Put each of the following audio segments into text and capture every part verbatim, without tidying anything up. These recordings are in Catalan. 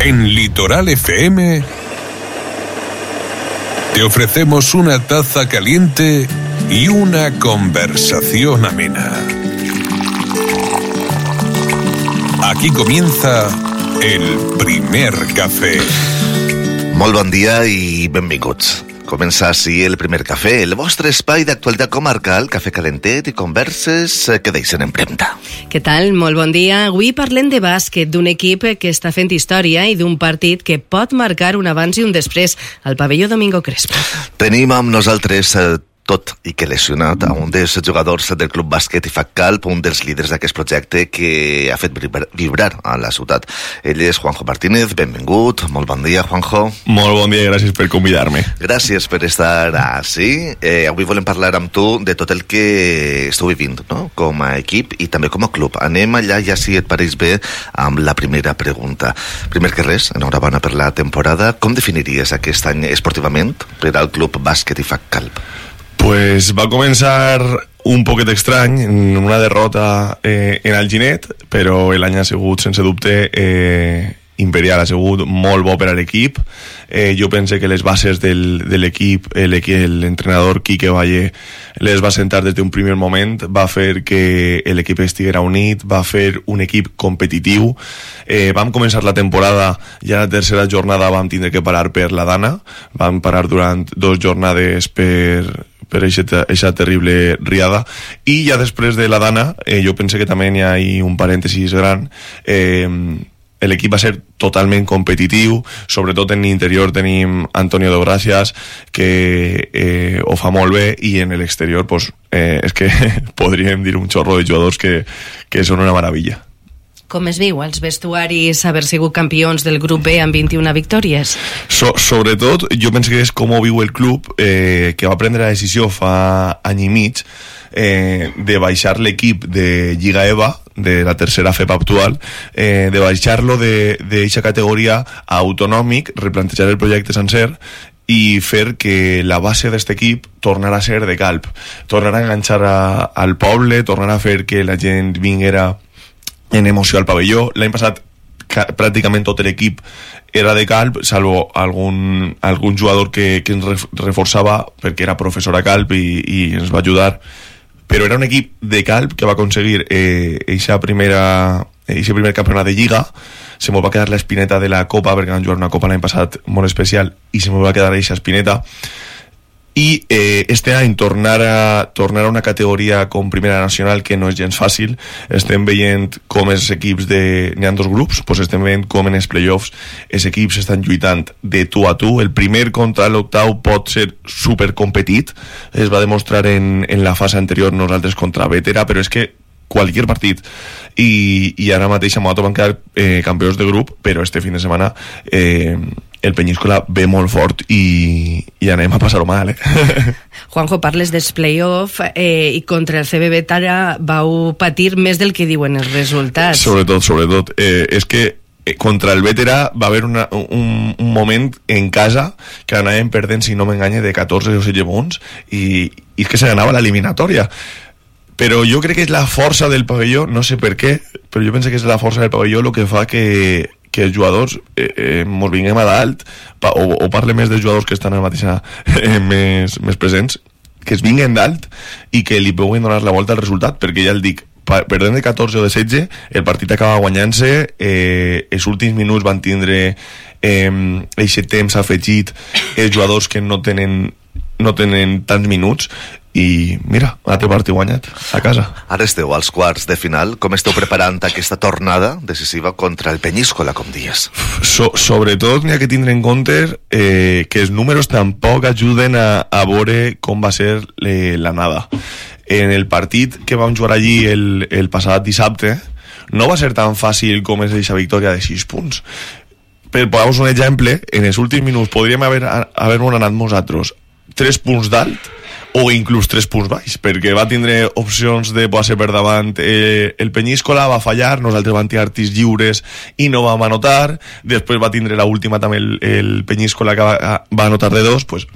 En Litoral F M te ofrecemos una taza caliente y una conversación amena. Aquí comienza el primer café. Molt bon dia i benvinguts. Comença així el primer cafè, el vostre espai d'actualitat comarcal, cafè calentet i converses que deixen empremta. Què tal? Molt bon dia. Avui parlem de bàsquet, d'un equip que està fent història i d'un partit que pot marcar un abans i un després al pavelló Domingo Crespo. Tenim amb nosaltres eh, tot i que lesionat a un dels jugadors del Club Bàsquet I F A C Calp, un dels líders d'aquest projecte que ha fet vibrar, vibrar a la ciutat. Ell és Juanjo Martínez, benvingut, molt bon dia, Juanjo. Molt bon dia i gràcies per convidar-me. Gràcies per estar així. Eh, avui volem parlar amb tu de tot el que esteu vivint, no? Com a equip i també com a club. Anem allà, ja si et pareix bé, amb la primera pregunta. Primer que res, enhorabona per la temporada. Com definiries aquest any esportivament per al Club Bàsquet I F A C Calp? Pues va començar un poquet estrany, en una derrota eh, en Alginet, però l'any ha sigut, sense dubte, eh, imperial, ha sigut molt bo per a l'equip. Eh, jo pense que les bases del, de l'equip, l'entrenador Quique Valle les va sentar des d'un primer moment, va fer que l'equip estiguera unit, va fer un equip competitiu. Eh, vam començar la temporada, ja la tercera jornada vam tindre que parar per la Dana, vam parar durant dos jornades per... per aquesta terrible riada, i ja després de la Dana, eh, jo pense que també hi ha un parèntesis gran. eh, l'equip va ser totalment competitiu, sobretot en l'interior tenim Antonio de Gracias, que eh, ho fa molt bé, i en l'exterior pues, eh, és que podríem dir un xorro de jugadors que, que són una meravella. Com es viu als vestuaris haver sigut campions del grup B amb vint-i-una victòries? So, sobretot, jo penso que és com ho viu el club, eh, que va prendre la decisió fa any i mig eh, de baixar l'equip de Lliga EVA, de la tercera F E P actual, eh, de baixar-lo d'aquesta categoria a autonòmic, replantejar el projecte sencer i fer que la base d'aquest equip tornarà a ser de Calp, tornarà a enganxar a, al poble, tornarà a fer que la gent vinguera en emoció al pavelló. L'any passat pràcticament tot l'equip era de Calp, salvo algun, algun jugador que, que ens reforçava perquè era professor a Calp i, i ens va ajudar, però era un equip de Calp que va aconseguir eh, eixa primera, eixe primer campionat de Lliga. Se m'ho va quedar l'espineta de la Copa, perquè van jugar una Copa l'any passat molt especial i se m'ho va quedar eixa espineta. I eh, este any tornar a, tornar a una categoria com Primera Nacional, que no és gens fàcil. Estem veient com els equips de... N'hi ha dos grups, doncs estem veient com en els playoffs els equips estan lluitant de tu a tu. El primer contra l'octau pot ser supercompetit, es va demostrar en, en la fase anterior, nosaltres contra Vetera, però és que qualsevol partit, i, i ara mateix a Moato van quedar eh, campions de grup, però este fin de setmana eh, el Peñíscola ve molt fort i, i anem a passar-ho mal, eh? Juanjo, parles dels play-off eh, i contra el C B Vetera vau patir més del que diuen els resultats. Sobretot, sobretot. Eh, és que contra el Vetera va haver una, un, un moment en casa que anàvem perdent, si no m'enganye, de catorze o setze punts, i, i és que se ganava l'eliminatòria. Però jo crec que és la força del pavelló, no sé per què, però jo penso que és la força del pavelló el que fa que, que els jugadors eh, eh, mos vinguem a dalt, pa, o, o parle més dels jugadors que estan a la mateixa eh, més, més presents, que es vinguen dalt i que li puguen donar la volta al resultat, perquè ja el dic, perdent de catorze o de setze, el partit acaba guanyant-se, eh, els últims minuts van tindre aquest eh, temps afegit, els jugadors que no tenen, no tenen tants minuts, i mira, altre partit guanyat a casa. Ara esteu als quarts de final. Com esteu preparant aquesta tornada decisiva contra el Peñíscola, com dies? So, sobretot n'hi ha que tindre en compte eh, que els números tampoc ajuden a, a veure com va ser eh, l'anada. En el partit que vam jugar allí el, el passat dissabte no va ser tan fàcil com és aquesta victòria de sis punts. Per posar-vos un exemple, en els últims minuts podríem haver, haver-nos anat nosaltres tres punts d'alt o inclús tres punts baix, perquè va tindre opcions de posar per davant eh, el Peñíscola, va fallar, nosaltres vam tirar tirs lliures i no vam anotar, després va tindre l'última també el, el Peñíscola que va, va anotar de dos, pues,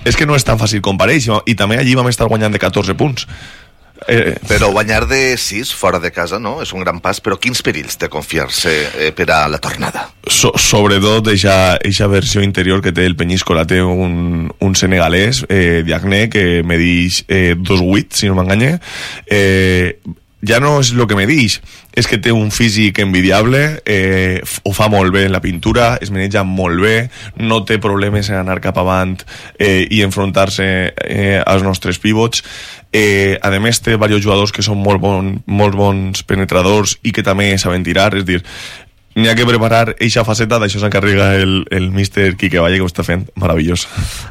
és que no és tan fàcil comparar, i, i també allí vam estar guanyant de catorze punts. Eh, però guanyar de sis fora de casa, no? És un gran pas, però quins perills té confiar-se eh, per a la tornada? So, sobretot eixa versió interior que té el Peñíscola, té un, un senegalès, eh, Diagne, que me dix eh, dos vuit, si no m'enganye. Eh, ja no és el que me dix, és que té un físic envidiable, eh, ho fa molt bé en la pintura, es maneja molt bé, no té problemes en anar cap avant eh, i enfrontar-se eh, als nostres pivots. Eh, a més té diversos jugadors que són molt, bon, molt bons penetradors i que també saben tirar, és dir, n'hi ha que preparar eixa faceta, d'això s'encarrega el, el míster Quique Valle, que ho està fent meravellós.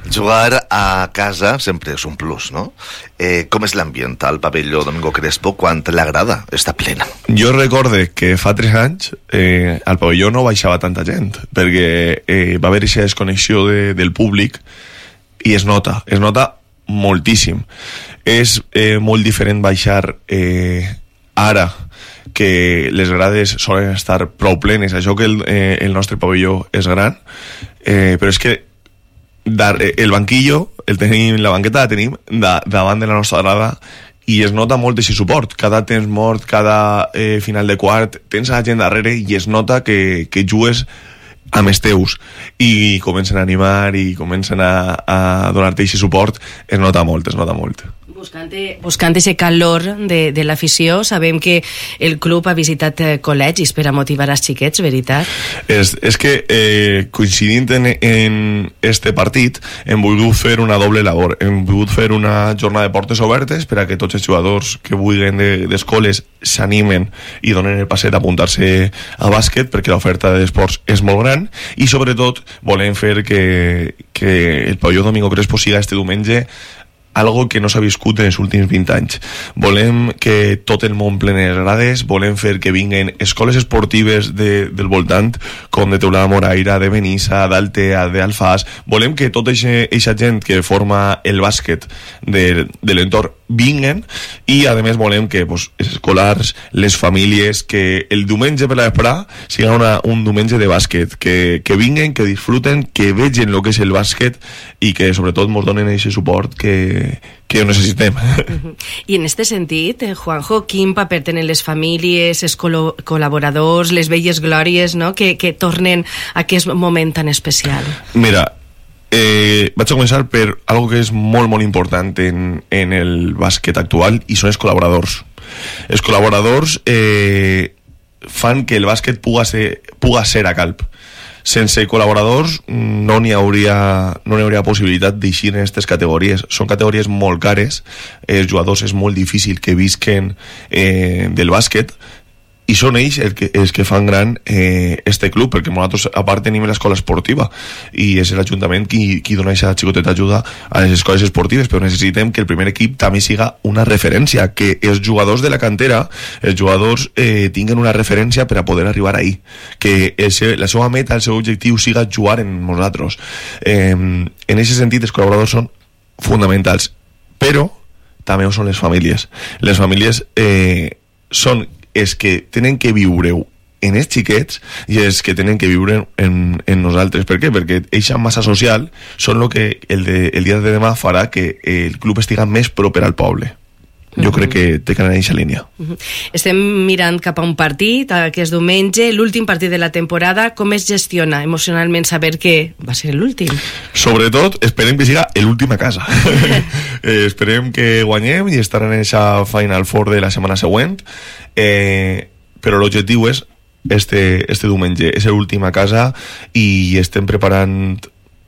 Jugar a casa sempre és un plus, no? Eh, com és l'ambient al pavelló Domingo Crespo quan l'agrada està plena? Jo recorde que fa tres anys eh, al pavelló no baixava tanta gent, perquè eh, va haver aquesta desconnexió de, del públic i es nota, es nota moltíssim. És eh, molt diferent baixar eh, ara que les grades solen estar prou plenes, això que el, eh, el nostre pavelló és gran, eh, però és que dar, eh, el banquillo, el tenim, la banqueta la tenim da, davant de la nostra grada i es nota molt d'aquest suport. Cada temps mort, cada eh, final de quart, tens a la gent darrere i es nota que, que jugues amb els teus i comencen a animar i comencen a, a donar-te aquest suport. Es nota molt, es nota molt. Buscant, buscant ese calor de, de l'afició, sabem que el club ha visitat eh, col·legis per a motivar els xiquets, veritat? És, és que eh, coincidint en, en este partit hem volgut fer una doble labor, hem volgut fer una jornada de portes obertes per a que tots els jugadors que vulguin d'escoles de, s'animen i donen el passet a apuntar-se a bàsquet, perquè l'oferta d'esports és molt gran i sobretot volem fer que, que el pavelló Domingo Crespo siga este diumenge algo que no s'ha viscut en els últims vint anys. Volem que tot el món plene les grades, volem fer que vinguen escoles esportives de, del voltant, com de Teulada Moraira, de Benissa, d'Altea, d'Alfàs. Volem que tota aquesta gent que forma el bàsquet de, de l'entorn vinguen i a més volem que pues, els escolars, les famílies, que el diumenge per la vesprà siga una, un diumenge de bàsquet, que, que vinguen, que disfruten, que vegin el que és el bàsquet i que sobretot ens donen aquest suport que que ho necessitem. Uh-huh. I en este sentit, eh, Juanjo, quin paper tenen les famílies, els col col·laboradors, les velles glòries, no?, que, que tornen a aquest moment tan especial? Mira, eh, vaig a començar per algo que és molt, molt important en, en el bàsquet actual i són els col·laboradors. Els col·laboradors eh, fan que el bàsquet puga ser, puga ser a Calp. Sense col·laboradors no n'hi hauria, no n'hi hauria possibilitat d'eixir en aquestes categories. Són categories molt cares, els jugadors és molt difícil que visquen eh, del bàsquet i són ells els que, els que fan gran eh, este club, perquè nosaltres a part tenim l'escola esportiva i és l'Ajuntament qui, qui dona aquesta xicoteta ajuda a les escoles esportives, però necessitem que el primer equip també siga una referència, que els jugadors de la cantera, els jugadors eh, tinguen una referència per a poder arribar ahí, que el seu, la seva meta, el seu objectiu siga jugar en nosaltres. Eh, en aquest sentit els col·laboradors són fonamentals, però també ho són les famílies. Les famílies eh, són és que tenen que viure-ho en els xiquets i és que tenen que viure en, en nosaltres. Per què? Perquè eixa massa social són el que el, de, el dia de demà farà que el club estiga més proper al poble. Jo crec que té que anar en aquesta línia. Estem mirant cap a un partit aquest diumenge, l'últim partit de la temporada. Com es gestiona emocionalment saber que va ser l'últim? Sobretot esperem que siga l'últim a casa. eh, esperem que guanyem i estarem en aquesta Final Four de la setmana següent, eh, però l'objectiu és este, este diumenge, és l'últim a casa i estem preparant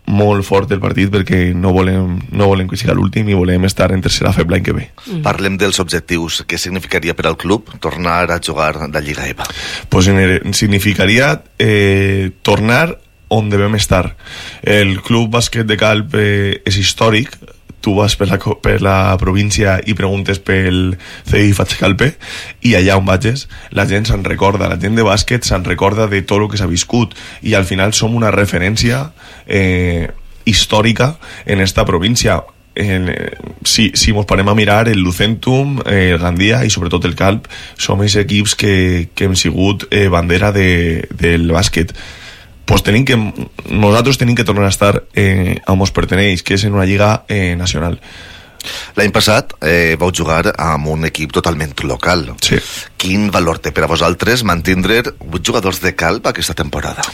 molt fort el partit perquè no volem, no volem que sigui l'últim i volem estar en tercera feble l'any que ve. Mm. Parlem dels objectius. Què significaria per al club tornar a jugar de Lliga EVA? Pues significaria eh, tornar on devem estar. El Club Bàsquet de Calp eh, és històric. Tu vas per la, per la província i preguntes pel C I F H Calpe i allà on vagis la gent se'n recorda, la gent de bàsquet se'n recorda de tot el que s'ha viscut i al final som una referència eh, històrica en esta província. En, si, si mos parem a mirar el Lucentum, eh, el Gandia i sobretot el Calp, som els equips que, que hem sigut eh, bandera de, del bàsquet. Pues tenim que, nosaltres tenim que tornar a estar eh, on ens perteneix, que és en una lliga eh, nacional. L'any passat eh, vau jugar amb un equip totalment local. Sí. Quin valor té per a vosaltres mantindre vuit jugadors de Calp aquesta temporada?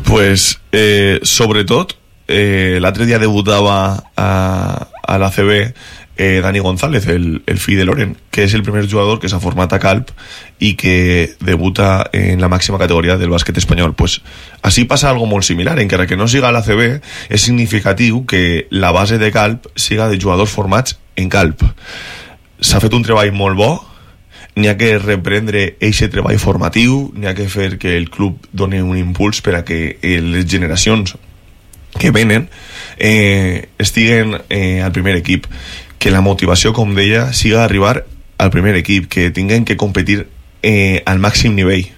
Pues, eh, sobretot, eh, l'altre dia debutava a, a l'A C B eh, Dani González, el, el fill de Loren, que és el primer jugador que s'ha format a Calp i que debuta en la màxima categoria del bàsquet espanyol. Pues així passa algo molt similar, encara que no siga a l'A C B, és significatiu que la base de Calp siga de jugadors formats en Calp. S'ha fet un treball molt bo, n'hi ha que reprendre eixe treball formatiu, n'hi ha que fer que el club doni un impuls per a que les generacions que venen eh, estiguen eh, al primer equip, que la motivació, com deia, siga arribar al primer equip, que tinguin que competir eh, al màxim nivell.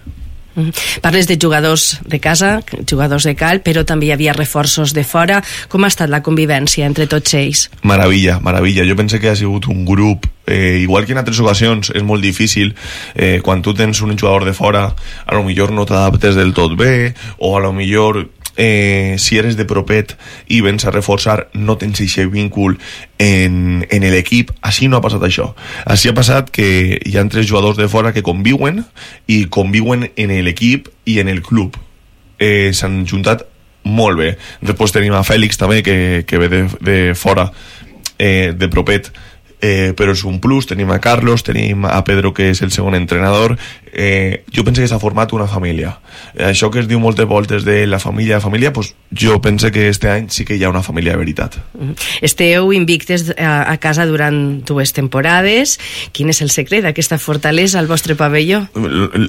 Parles de jugadors de casa, jugadors de Calp, però també hi havia reforços de fora. Com ha estat la convivència entre tots ells? Maravilla, maravilla. Jo penso que ha sigut un grup, eh, igual que en altres ocasions, és molt difícil. Eh, quan tu tens un jugador de fora, a lo millor no t'adaptes del tot bé, o a lo millor eh, si eres de propet i vens a reforçar, no tens aquest vínculo en, en l'equip. Així no ha passat això. Així ha passat que hi ha tres jugadors de fora que conviuen i conviuen en l'equip i en el club. Eh, s'han juntat molt bé. Després tenim a Fèlix també, que, que ve de, de fora, eh, de propet, eh, però és un plus. Tenim a Carlos, tenim a Pedro, que és el segon entrenador. Eh, jo penso que s'ha format una família. Eh, això que es diu moltes voltes de la família, la família, pues jo penso que este any sí que hi ha una família de veritat. Esteu invictes a, a casa durant dues temporades. Quin és el secret d'aquesta fortalesa al vostre pavelló?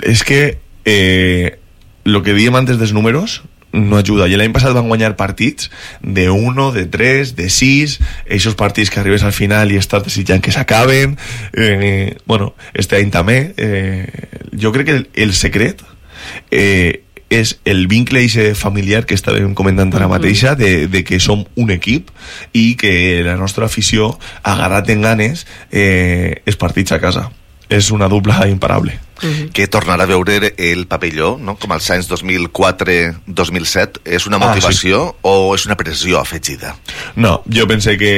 És que eh, lo que diem antes dels números no ajuda. I l'any passat van guanyar partits de uno, de tres, de sis, aquests partits que arribes al final i estàs desitjant que s'acaben. Eh, bueno, este any també. Eh, jo crec que el, el secret eh, és el vincle familiar que estàvem comentant ara mateixa, de, de que som un equip i que la nostra afició ha agarrat en ganes eh, els partits a casa. És una dupla imparable. Uh-huh. Que tornar a veure el pavelló, no? Com als anys dos mil quatre dos mil set, és una motivació ah, sí. o és una pressió afegida? No, jo pense que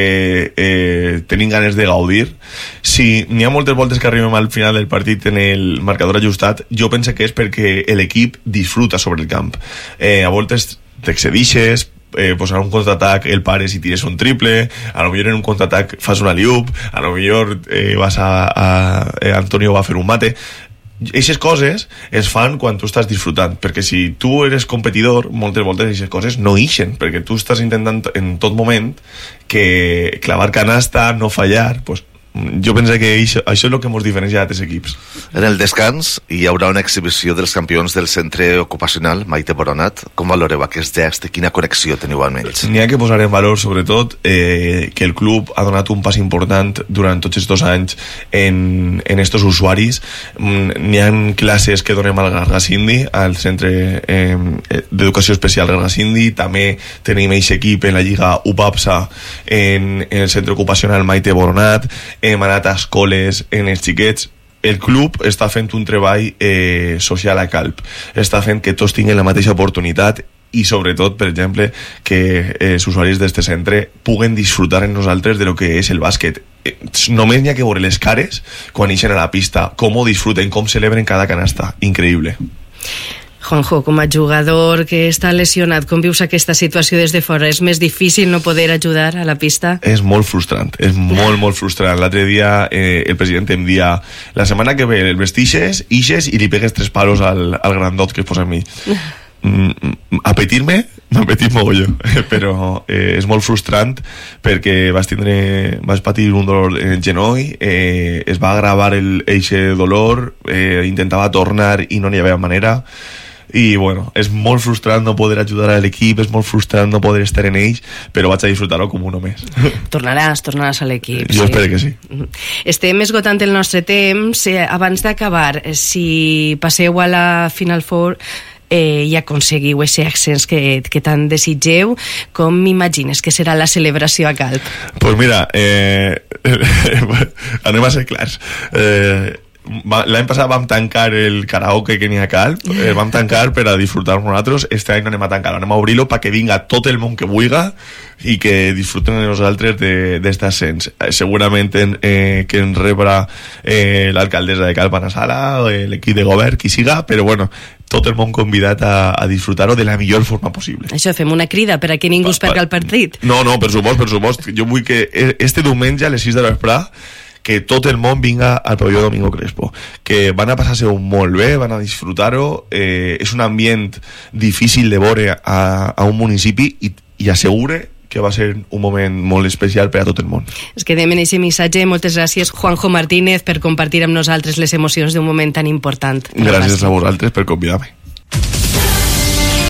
eh, tenim ganes de gaudir. Si n'hi ha moltes voltes que arribem al final del partit en el marcador ajustat, jo pense que és perquè l'equip disfruta sobre el camp. Eh, a voltes t'excedixes, Eh, posar un contraatac, el pares i tires un triple, a lo millor en un contraatac fas una alley-oop, a lo millor eh, vas a, a eh, Antonio va a fer un mate. Eixes coses es fan quan tu estàs disfrutant, perquè si tu eres competidor, moltes voltes eixes coses no ixen, perquè tu estàs intentant en tot moment que clavar canasta, no fallar, pues jo penso que això, això és el que ens diferencia d'altres equips. En el descans hi haurà una exhibició dels campions del centre ocupacional Maite Boronat. Com valoreu aquest gest? Quina connexió teniu amb ells? N'hi ha que posar en valor, sobretot, eh, que el club ha donat un pas important durant tots aquests dos anys en, en estos usuaris. N'hi ha classes que donem al Gargasindi, al centre eh, d'educació especial Gargasindi. També tenim aquest equip en la lliga U P A P S A en, en el centre ocupacional Maite Boronat. Hem anat a escoles en els xiquets. El club està fent un treball eh, social a Calp, està fent que tots tinguin la mateixa oportunitat i sobretot, per exemple, que eh, els usuaris d'aquest centre puguen disfrutar en nosaltres de lo que és el bàsquet. Eh, només n'hi ha que veure les cares quan ixen a la pista, com ho disfruten, com celebren cada canasta. Increïble. Juanjo, com a jugador que està lesionat, com vius aquesta situació des de fora? És més difícil no poder ajudar a la pista? És molt frustrant, és molt, molt frustrant. L'altre dia eh, el president em dia la setmana que ve el vestixes, ixes i li pegues tres palos al, al grandot que es posa a mi. Mm, apetir-me, m'apetit mogolló, però eh, és molt frustrant perquè vas tindre, vas patir un dolor en el genoll, eh, es va agravar el, eixe dolor, eh, intentava tornar i no n'hi havia manera. I bueno, és molt frustrant no poder ajudar a l'equip, és molt frustrant no poder estar en ells, però vaig a disfrutar-ho com un més. Tornaràs, tornaràs a l'equip. Jo sí? Espero que sí. Estem esgotant el nostre temps. Abans d'acabar, si passeu a la Final Four eh, i aconseguiu aquest accés que, que tant desitgeu, com m'imagines que serà la celebració a Calp? Pues mira, eh, anem a ser clars. Eh, l'any passat vam tancar el karaoke que n'hi ha a Calp, eh, vam tancar per a disfrutar nosaltres. Este any no anem a tancar, anem a obrir-lo perquè vinga tot el món que vulga i que disfruten de nosaltres d'este ascens. Eh, segurament en, eh, que ens rebrà eh, l'alcaldessa de Calp a la sala, eh, l'equip de govern, qui siga, però bueno, tot el món convidat a, a disfrutar-ho de la millor forma possible. Això, fem una crida per a que ningú es perca el partit. No, no, per supost, per supost. Jo vull que este diumenge a les sis de l'vespre que tot el món vinga al pavelló Domingo Crespo, que van a passar-se-ho molt bé, van a disfrutar-ho, eh, és un ambient difícil de veure a, a un municipi i, i assegure que va ser un moment molt especial per a tot el món. Es quedem en aquest missatge. Moltes gràcies, Juanjo Martínez, per compartir amb nosaltres les emocions d'un moment tan important. Gràcies a vosaltres per convidar-me.